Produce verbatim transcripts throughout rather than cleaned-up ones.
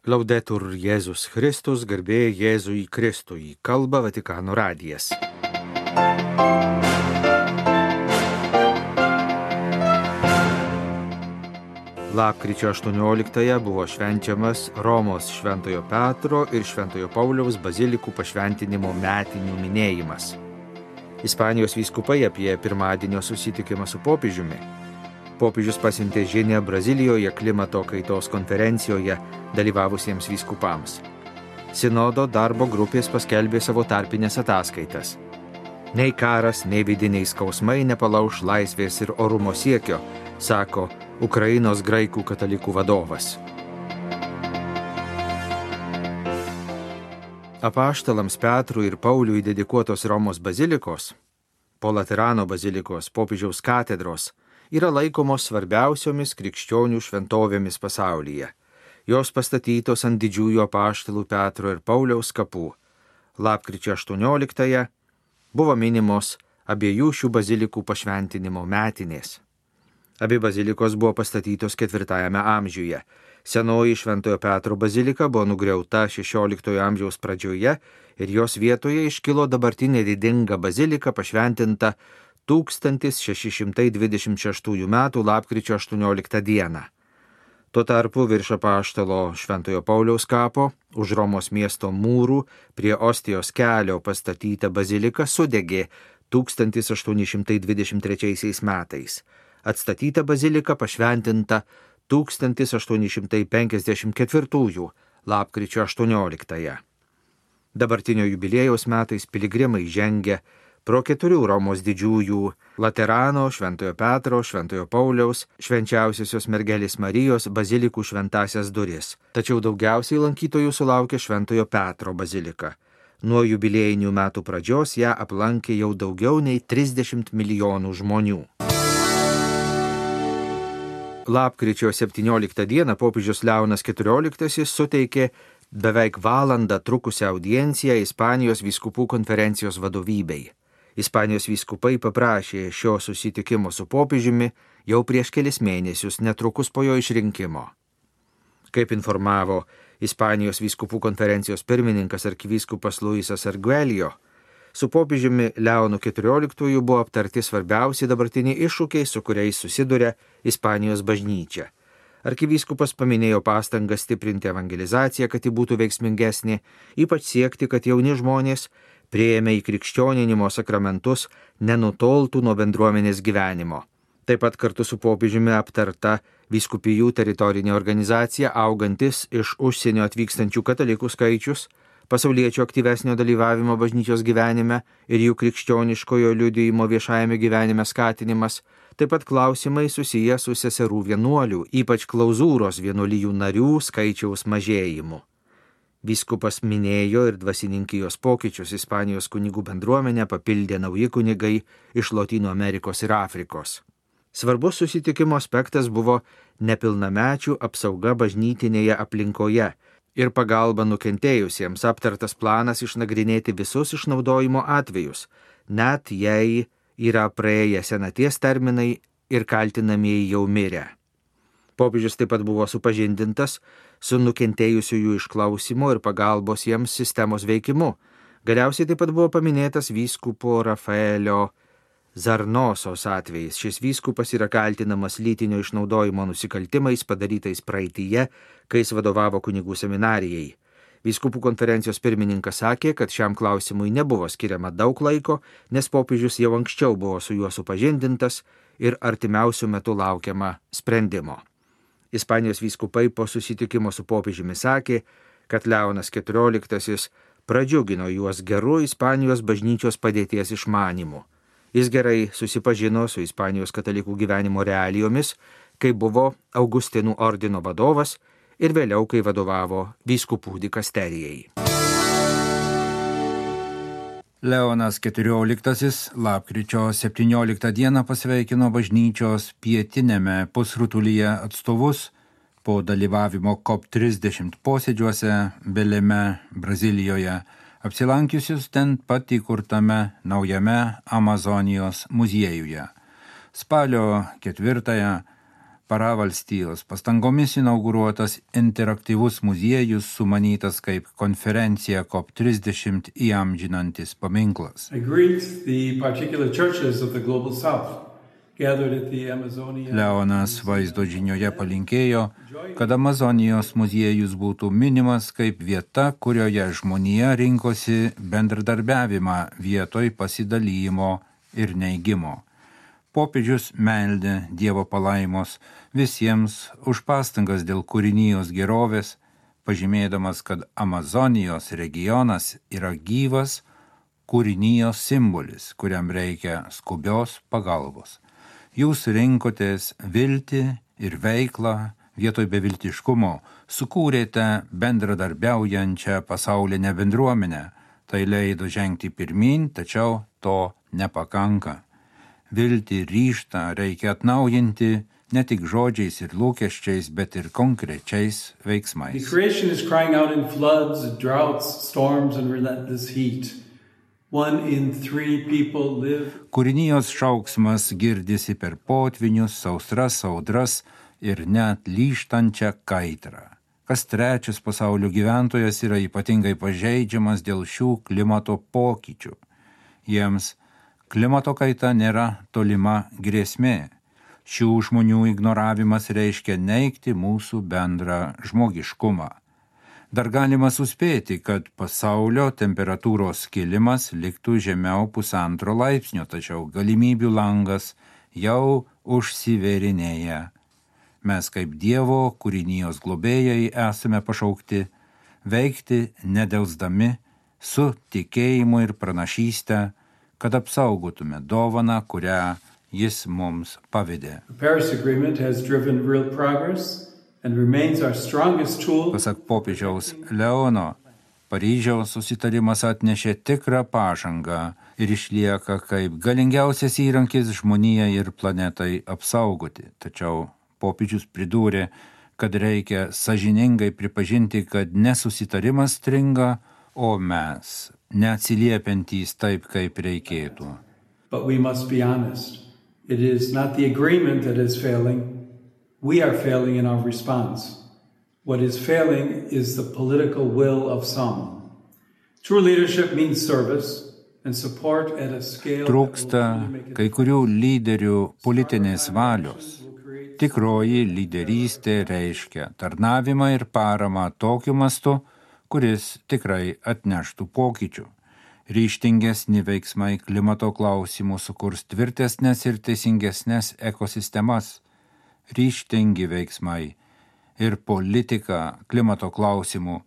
Laudetur Jėzus Kristus, garbė Jėzui Kristui, kalba Vatikano radijas. Lapkričio aštuonioliktąją buvo švenčiamas Romos Šventojo Petro ir Šventojo Pauliaus bazilikų pašventinimo metinių minėjimas. Ispanijos vyskupai apie pirmadienio susitikimą su popiežiumi. Popiežius pasiuntė žinią Brazilijoje klimato kaitos konferencijoje dalyvavusiems vyskupams. Sinodo darbo grupės paskelbė savo tarpinės ataskaitas. Nei karas, nei vidiniai skausmai nepalauš laisvės ir orumo siekio, sako Ukrainos graikų katalikų vadovas. Apaštalams Petrui ir Pauliui dedikuotos Romos bazilikos, po Laterano bazilikos popiežiaus katedros, yra laikomos svarbiausiomis krikščionių šventovėmis pasaulyje. Jos pastatytos ant didžiųjų apaštalų Petro ir Pauliaus kapų. Lapkričio aštuonioliktąją buvo minimos abiejų šių bazilikų pašventinimo metinės. Abi bazilikos buvo pastatytos ketvirtajame amžiuje. Senoji Šventojo Petro bazilika buvo nugriauta šešioliktojo amžiaus pradžioje ir jos vietoje iškilo dabartinė didinga bazilika pašventinta tūkstantis šeši šimtai dvidešimt šeštųjų metų lapkričio aštuonioliktą dieną. Tuo tarpu virš apaštalo Šventojo Pauliaus kapo, už Romos miesto mūrų, prie Ostijos kelio pastatyta bazilika sudegė tūkstantis aštuoni šimtai dvidešimt trečiaisiais metais. Atstatyta bazilika pašventinta tūkstantis aštuoni šimtai penkiasdešimt ketvirtųjų lapkričio aštuonioliktąją. Dabartinio jubiliejaus metais piligrimai žengia pro keturių Romos didžiųjų Laterano, Šventojo Petro, Šventojo Pauliaus, Švenčiausiosios mergelės Marijos bazilikų šventąsias duris. Tačiau daugiausiai lankytojų sulaukė Šventojo Petro bazilika. Nuo jubiliejinių metų pradžios ją aplankė jau daugiau nei trisdešimt milijonų žmonių. Lapkričio septynioliktą dieną popiežius Leonas keturioliktasis suteikė beveik valandą trukusią audienciją Ispanijos vyskupų konferencijos vadovybei. Ispanijos vyskupai paprašė šio susitikimo su popiežiumi jau prieš kelis mėnesius, netrukus po jo išrinkimo. Kaip informavo Ispanijos vyskupų konferencijos pirmininkas arkivyskupas Luisas Arguelio, su popiežiumi Leonu keturioliktuoju buvo aptarti svarbiausi dabartiniai iššūkiai, su kuriais susiduria Ispanijos bažnyčia. Arkivyskupas paminėjo pastangas stiprinti evangelizaciją, kad ji būtų veiksmingesnė, ypač siekti, kad jauni žmonės priėmę į krikščioninimo sakramentus nenutoltų nuo bendruomenės gyvenimo. Taip pat kartu su popiežiumi aptarta vyskupijų teritorinė organizacija, augantis iš užsienio atvykstančių katalikų skaičius, pasauliečių aktyvesnio dalyvavimo bažnyčios gyvenime ir jų krikščioniškojo liudijimo viešajame gyvenime skatinimas, taip pat klausimai susiję su seserų vienuolių, ypač klauzūros vienuolijų narių skaičiaus mažėjimu. Vyskupas minėjo ir dvasininkijos pokyčius. Ispanijos kunigų bendruomenę papildė nauji kunigai iš Lotynų Amerikos ir Afrikos. Svarbus susitikimo aspektas buvo nepilnamečių apsauga bažnytinėje aplinkoje ir pagalba nukentėjusiems, aptartas planas išnagrinėti visus išnaudojimo atvejus, net jei yra praėję senaties terminai ir kaltinamieji jau mirę. Popiežius taip pat buvo supažindintas su nukentėjusiųjų išklausimo ir pagalbos jiems sistemos veikimu. Galiausiai taip pat buvo paminėtas vyskupo Rafaelio Zarnosos atvejis. Šis vyskupas yra kaltinamas lytinio išnaudojimo nusikaltimais padarytais praeityje, kai jis vadovavo kunigų seminarijai. Vyskupų konferencijos pirmininkas sakė, kad šiam klausimui nebuvo skiriama daug laiko, nes popiežius jau anksčiau buvo su juo supažindintas ir artimiausių metų laukiama sprendimo. Ispanijos vyskupai po susitikimo su popiežiumi sakė, kad Leonas keturioliktasis pradžiugino juos geru Ispanijos bažnyčios padėties išmanymu. Jis gerai susipažino su Ispanijos katalikų gyvenimo realijomis, kai buvo Augustinų ordino vadovas ir vėliau, kai vadovavo vyskupų dikasterijai. Leonas keturioliktasis lapkričio septynioliktą dieną pasveikino bažnyčios pietiniame pusrutulyje atstovus po dalyvavimo COP trisdešimt posėdžiuose Beleme, Brazilijoje, apsilankiusius ten pat įkurtame naujame Amazonijos muziejuje. Spalio ketvirtąją Paravalstijos pastangomis inauguruotas interaktyvus muziejus sumanytas kaip konferencija COP trisdešimt įamžinantis paminklas. Leonas vaizdo žinioje palinkėjo, kad Amazonijos muziejus būtų minimas kaip vieta, kurioje žmonija rinkosi bendradarbiavimą vietoj pasidalymo ir neigimo. Popiežius meldė Dievo palaimos visiems už pastangas dėl kūrinijos gerovės, pažymėdamas, kad Amazonijos regionas yra gyvas kūrinijos simbolis, kuriam reikia skubios pagalbos. Jūs rinkotės viltį ir veiklą vietoj beviltiškumo, sukūrėte bendradarbiaujančią pasaulinę bendruomenę. Tai leido žengti pirmyn, tačiau to nepakanka. Viltį ryžtą reikia atnaujinti ne tik žodžiais ir lūkesčiais, bet ir konkrečiais veiksmais. The creation is crying out in floods, droughts, storms and relentless heat. One in three people live. Kūrinijos šauksmas girdisi per potvinius, sausras, audras ir net lyžtančią kaitrą. Kas trečias pasaulio gyventojas yra ypatingai pažeidžiamas dėl šių klimato pokyčių. Jiems klimato kaita nėra tolima grėsmė. Šių žmonių ignoravimas reiškia neigti mūsų bendrą žmogiškumą. Dar galima suspėti, kad pasaulio temperatūros kilimas liktų žemiau pusantro laipsnio, tačiau galimybių langas jau užsivėrinėja. Mes kaip Dievo kūrinijos globėjai esame pašaukti veikti nedelsdami su tikėjimu ir pranašyste, kad apsaugotume dovaną, kurią jis mums pavedė. Pasak popiežiaus Leono, Paryžiaus susitarimas atnešė tikrą pažangą ir išlieka kaip galingiausias įrankis žmonijai ir planetai apsaugoti. Tačiau popiežius pridūrė, kad reikia sąžiningai pripažinti, kad nesusitarimas stringa, o mes neatsiliepiantys taip, kaip reikėtų. But we must be honest. It is not the agreement that is failing. We are failing in our response. What is failing is the political will of some. True leadership means service and support at a scale. Trūksta kai kurių lyderių politinės valios. Tikroji lyderystė reiškia tarnavimą ir paramą tokiu mastu, kuris tikrai atneštų pokyčių. Ryžtingesni veiksmai klimato klausimų sukurs tvirtesnės ir teisingesnės ekosistemas. Ryžtingi veiksmai ir politika klimato klausimų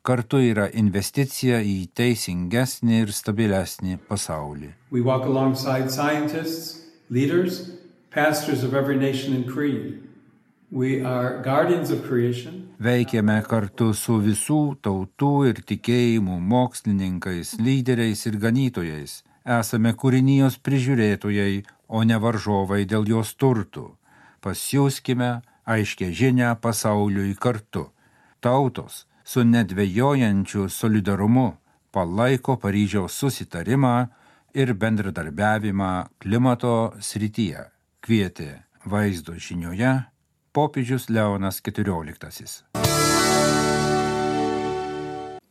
kartu yra investicija į teisingesnį ir stabilesnį pasaulį. We walk alongside scientists, leaders, pastors of every nation and creed. We are guardians of creation. Veikiame kartu su visų tautų ir tikėjimų mokslininkais, lyderiais ir ganytojais. Esame kūrinijos prižiūrėtojai, o ne varžovai dėl jos turtų. Pasiųskime aiškę žinią pasauliui kartu. Tautos su nedvejojančiu solidarumu palaiko Paryžiaus susitarimą ir bendradarbiavimą klimato srityje. Kvietė vaizdo žinioje popiežius Leonas keturioliktasis.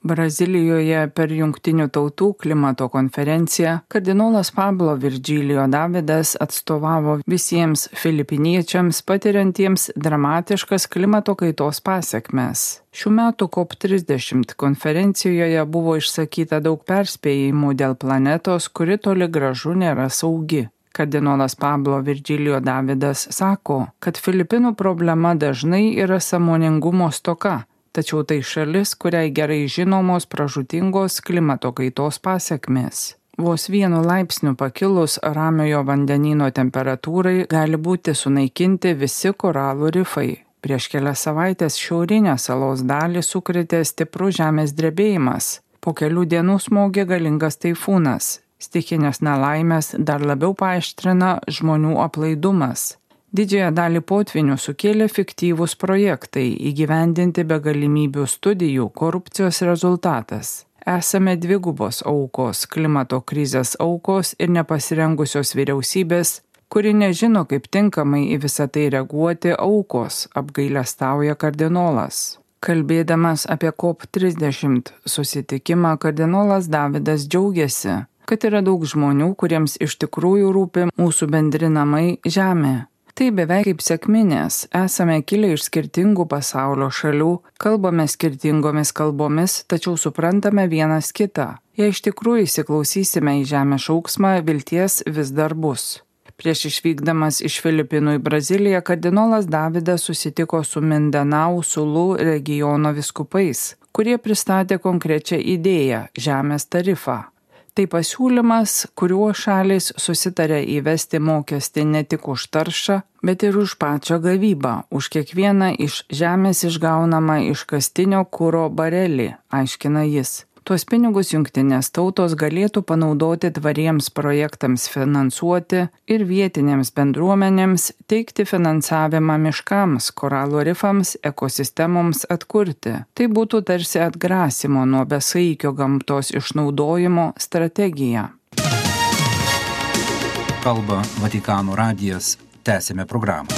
Brazilijoje per Jungtinių tautų klimato konferenciją kardinolas Pablo Virgilio Davidas atstovavo visiems filipiniečiams patiriantiems dramatiškas klimato kaitos pasekmes. Šių metų COP trisdešimt konferencijoje buvo išsakyta daug perspėjimų dėl planetos, kuri toli gražu nėra saugi. Kardinolas Pablo Virgilio Davidas sako, kad Filipinų problema dažnai yra sąmoningumo stoka, tačiau tai šalis, kuriai gerai žinomos pražūtingos klimato kaitos pasekmės. Vos vienu laipsniu pakilus Ramiojo vandenyno temperatūrai gali būti sunaikinti visi koralų rifai. Prieš kelias savaitės šiaurinę salos dalį sukrėtė stiprus žemės drebėjimas. Po kelių dienų smogė galingas taifūnas. Stichinės nelaimės dar labiau paaštrina žmonių aplaidumas. Didžiąją dalį potvinių sukėlė fiktyvūs projektai įgyvendinti be galimybių studijų korupcijos rezultatas. Esame dvigubos aukos, klimato krizės aukos ir nepasirengusios vyriausybės, kuri nežino, kaip tinkamai į visą tai reaguoti aukos, apgailestauja kardinolas. Kalbėdamas apie COP trisdešimt susitikimą, kardinolas Davidas džiaugiasi, kad yra daug žmonių, kuriems iš tikrųjų rūpi mūsų bendri namai Žemė. Tai beveik kaip sekminės, esame kilę iš skirtingų pasaulio šalių, kalbame skirtingomis kalbomis, tačiau suprantame vienas kitą. Jei iš tikrųjų įsiklausysime į Žemės šauksmą, vilties vis dar bus. Prieš išvykdamas iš Filipinų į Braziliją, kardinolas Davidas susitiko su Mindanao Sulu regiono vyskupais, kurie pristatė konkrečią idėją – žemės tarifą. Tai pasiūlymas, kuriuo šalys susitarė įvesti mokestį ne tik už taršą, bet ir už pačią gavybą, už kiekvieną iš žemės išgaunamą iškastinio kuro barelį, aiškina jis. Tuos pinigus jungtinės tautos galėtų panaudoti tvariems projektams finansuoti ir vietinėms bendruomenėms teikti finansavimą miškams, koralų rifams, ekosistemoms atkurti. Tai būtų tarsi atgrasimo nuo besaikio gamtos išnaudojimo strategija. Kalba Vatikano radijas. Tęsime programą.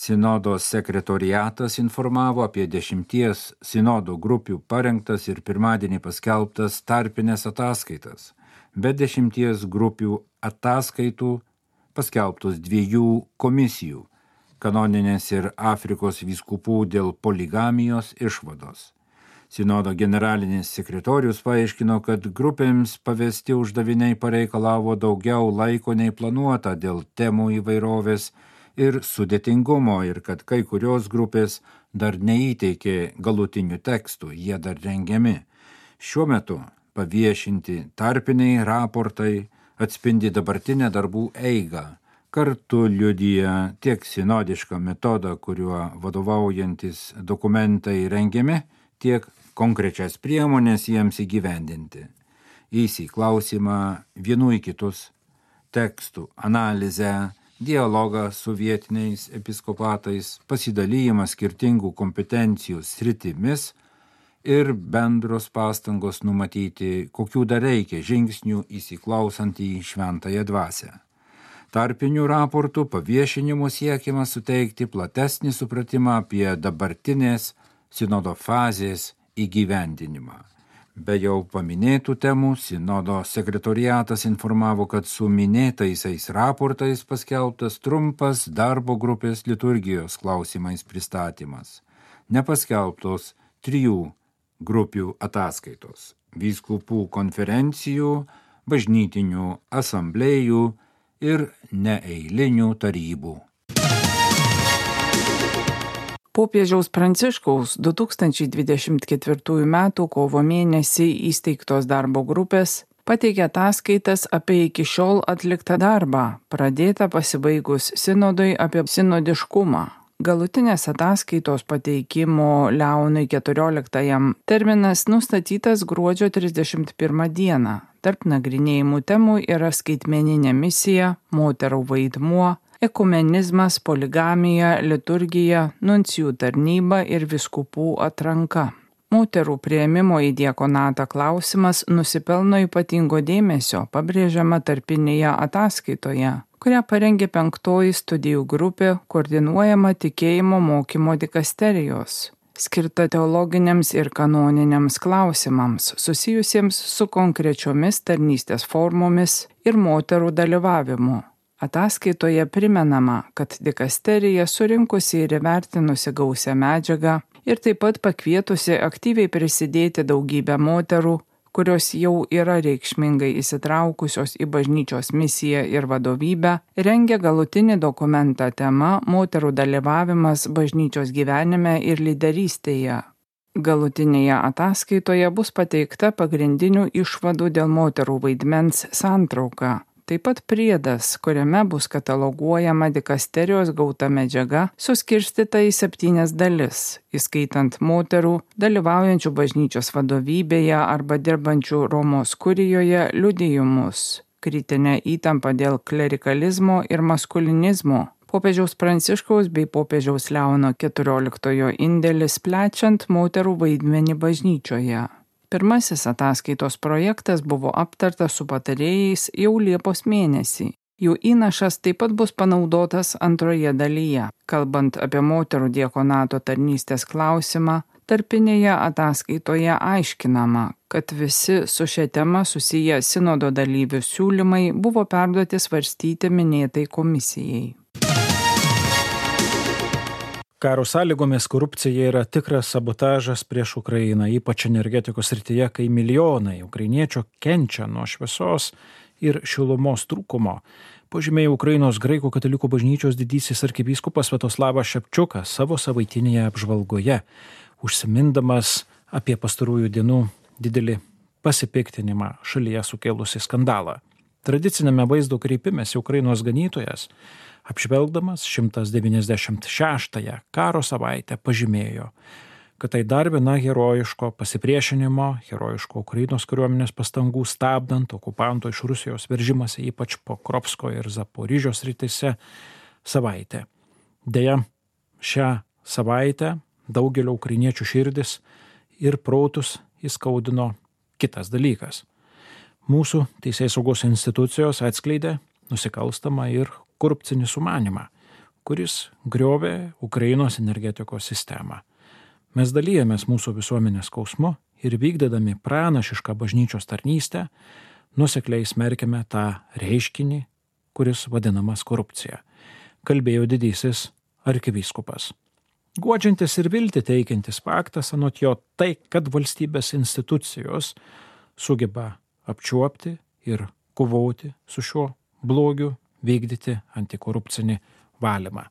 Sinodo sekretoriatas informavo apie dešimties sinodo grupių parengtas ir pirmadienį paskelbtas tarpinės ataskaitas. Be dešimties grupių ataskaitų paskelbtos dviejų komisijų – kanoninės ir Afrikos vyskupų dėl poligamijos išvados. Sinodo generalinis sekretorius paaiškino, kad grupėms pavesti uždaviniai pareikalavo daugiau laiko nei planuota dėl temų įvairovės ir sudėtingumo ir kad kai kurios grupės dar neįteikė galutinių tekstų, jie dar rengiami. Šiuo metu paviešinti tarpiniai raportai atspindi dabartinę darbų eigą. Kartu liudija tiek sinodišką metodą, kuriuo vadovaujantis dokumentai rengiami, tiek konkrečias priemonės jiems įgyvendinti. Įsiklausimą vienų į kitus, tekstų analizę, dialogą su vietiniais episkopatais, pasidalijimą skirtingų kompetencijų sritimis ir bendros pastangos numatyti, kokių dar reikia žingsnių įsiklausant į šventąją dvasią. Tarpinių raportų paviešinimu siekiama suteikti platesnį supratimą apie dabartinės sinodo fazės įgyvendinimą. Be jau paminėtų temų, sinodo sekretoriatas informavo, kad su minėtaisiais raportais paskelbtas trumpas darbo grupės liturgijos klausimais pristatymas. Nepaskelbtos trijų grupių ataskaitos – vyskupų konferencijų, bažnytinių asamblėjų ir neeilinių tarybų. Popiežiaus Pranciškaus du tūkstančiai dvidešimt ketvirtųjų metų kovo mėnesį įsteigtos darbo grupės pateikė ataskaitas apie iki šiol atliktą darbą, pradėtą pasibaigus sinodui apie sinodiškumą. Galutinės ataskaitos pateikimo Leonui keturioliktajam terminas nustatytas gruodžio trisdešimt pirmą dieną. Tarp nagrinėjimų temų yra skaitmeninė misija, moterų vaidmuo, ekumenizmas, poligamija, liturgija, nuncijų tarnyba ir vyskupų atranka. Moterų priėmimo į diakonatą klausimas nusipelno ypatingo dėmesio, pabrėžiama tarpinėje ataskaitoje, kurią parengė penktoji studijų grupė, koordinuojama tikėjimo mokymo dikasterijos, skirta teologiniams ir kanoniniams klausimams, susijusiems su konkrečiomis tarnystės formomis ir moterų dalyvavimu. Ataskaitoje primenama, kad dikasterija surinkusi ir įvertinusi gausią medžiagą ir taip pat pakvietusi aktyviai prisidėti daugybę moterų, kurios jau yra reikšmingai įsitraukusios į bažnyčios misiją ir vadovybę, rengia galutinį dokumentą tema moterų dalyvavimas bažnyčios gyvenime ir lyderystėje. Galutinėje ataskaitoje bus pateikta pagrindinių išvadų dėl moterų vaidmens santrauka. Taip pat priedas, kuriame bus kataloguojama dikasterijos gauta medžiaga, suskirstyta į septynias dalis, įskaitant moterų, dalyvaujančių bažnyčios vadovybėje arba dirbančių Romos kurijoje liudijimus, kritinę įtampą dėl klerikalizmo ir maskulinizmo, popiežiaus Pranciškaus bei popiežiaus Leono keturioliktojo indėlis plečiant moterų vaidmenį bažnyčioje. Pirmasis ataskaitos projektas buvo aptartas su patarėjais jau Liepos mėnesį. Jų įnašas taip pat bus panaudotas antroje dalyje. Kalbant apie moterų diakonato tarnystės klausimą, tarpinėje ataskaitoje aiškinama, kad visi su šia tema susiję sinodo dalyvių siūlymai buvo perduoti svarstyti minėtai komisijai. Karo sąlygomis korupcija yra tikras sabotažas prieš Ukrainą, ypač energetikos srityje, kai milijonai ukrainiečių kenčia nuo šviesos ir šilumos trūkumo. Pažymėjo Ukrainos graikų katalikų bažnyčios didysis arkivyskupas Sviatoslavas Šepčiukas savo savaitinėje apžvalgoje, užsimindamas apie pastarųjų dienų didelį pasipiktinimą šalyje sukėlusi skandalą. Tradicinėme vaizdo kreipimėsi Ukrainos ganytojas, apžvelgdamas šimtas devyniasdešimt šeštąją karo savaitę, pažymėjo, kad tai dar viena herojiško pasipriešinimo, herojiško Ukrainos kariuomenės pastangų stabdant okupanto iš Rusijos veržimąsi ypač Pokrovsko ir Zaporižės srityse savaitė. Deja, šią savaitę daugelio ukrainiečių širdis ir protus įskaudino kitas dalykas. Mūsų teisėsaugos institucijos atskleidė nusikalstamą ir korupcinį sumanimą, kuris griovė Ukrainos energetikos sistemą. Mes dalyjamės mūsų visuomenės skausmu ir vykdydami pranašišką bažnyčios tarnystę, nuosekliai smerkiame tą reiškinį, kuris vadinamas korupcija, kalbėjo didysis arkivyskupas. Guodžiantis ir viltį teikiantis faktas, anot jo, tai, kad valstybės institucijos sugeba apčiuopti ir kovoti su šiuo blogiu, vykdyti antikorupcinį valymą.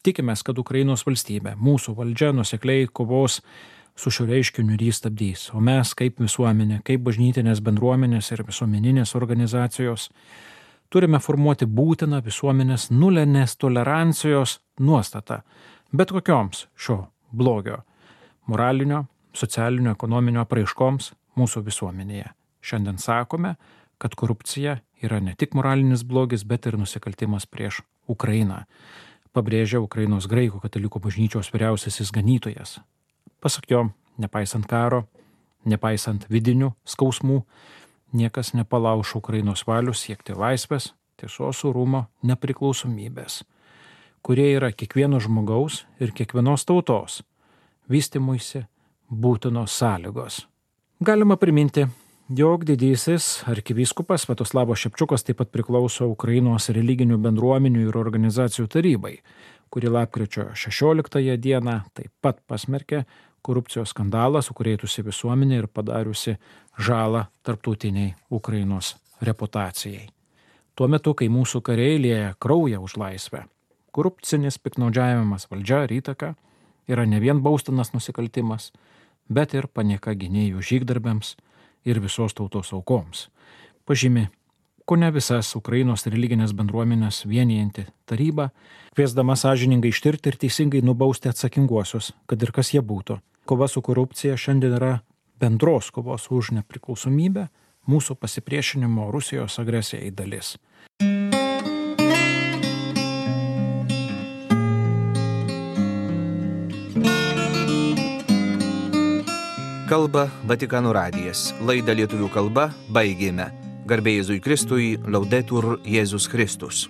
Tikimės, kad Ukrainos valstybė, mūsų valdžia nuosekliai kovos su šiuo reiškiniu ir jį stabdys, o mes kaip visuomenė, kaip bažnytinės bendruomenės ir visuomeninės organizacijos turime formuoti būtiną visuomenės nulinės tolerancijos nuostatą bet kokioms šio blogio, moralinio, socialinio, ekonominio apraiškoms mūsų visuomenėje. Šiandien sakome, kad korupcija yra ne tik moralinis blogis, bet ir nusikaltimas prieš Ukrainą, pabrėžia Ukrainos graikų katalikų bažnyčios vyriausiasis ganytojas. Pasak jo, nepaisant karo, nepaisant vidinių skausmų, niekas nepalauš Ukrainos valios siekti laisvės, tiesos, orumo, nepriklausomybės, kurie yra kiekvieno žmogaus ir kiekvienos tautos vystymuisi būtinos sąlygos. Galima priminti, jog didysis arkivyskupas Sviatoslavas Šepčiukas taip pat priklauso Ukrainos religinių bendruomenių ir organizacijų tarybai, kuri lapkričio šešioliktąją dieną taip pat pasmerkė korupcijos skandalą, sukrėtusi visuomenę ir padariusi žalą tarptautiniai Ukrainos reputacijai. Tuo metu, kai mūsų kariai lieja kraują už laisvę, korupcinis piktnaudžiavimas valdžia ir įtaka yra ne vien baustinas nusikaltimas, bet ir panieka gynėjų žygdarbiams ir visos tautos aukoms. Pažymi, kone visas Ukrainos religinės bendruomenės vienijanti taryba, kviesdama sąžiningai ištirti ir teisingai nubausti atsakinguosius, kad ir kas jie būtų. Kova su korupcija šiandien yra bendros kovos už nepriklausomybę, mūsų pasipriešinimo Rusijos agresijai dalis. Kalba Vatikano radijas. Laidą lietuvių kalba baigėme. Garbė Jėzui Kristui, Laudetur Jėzus Kristus.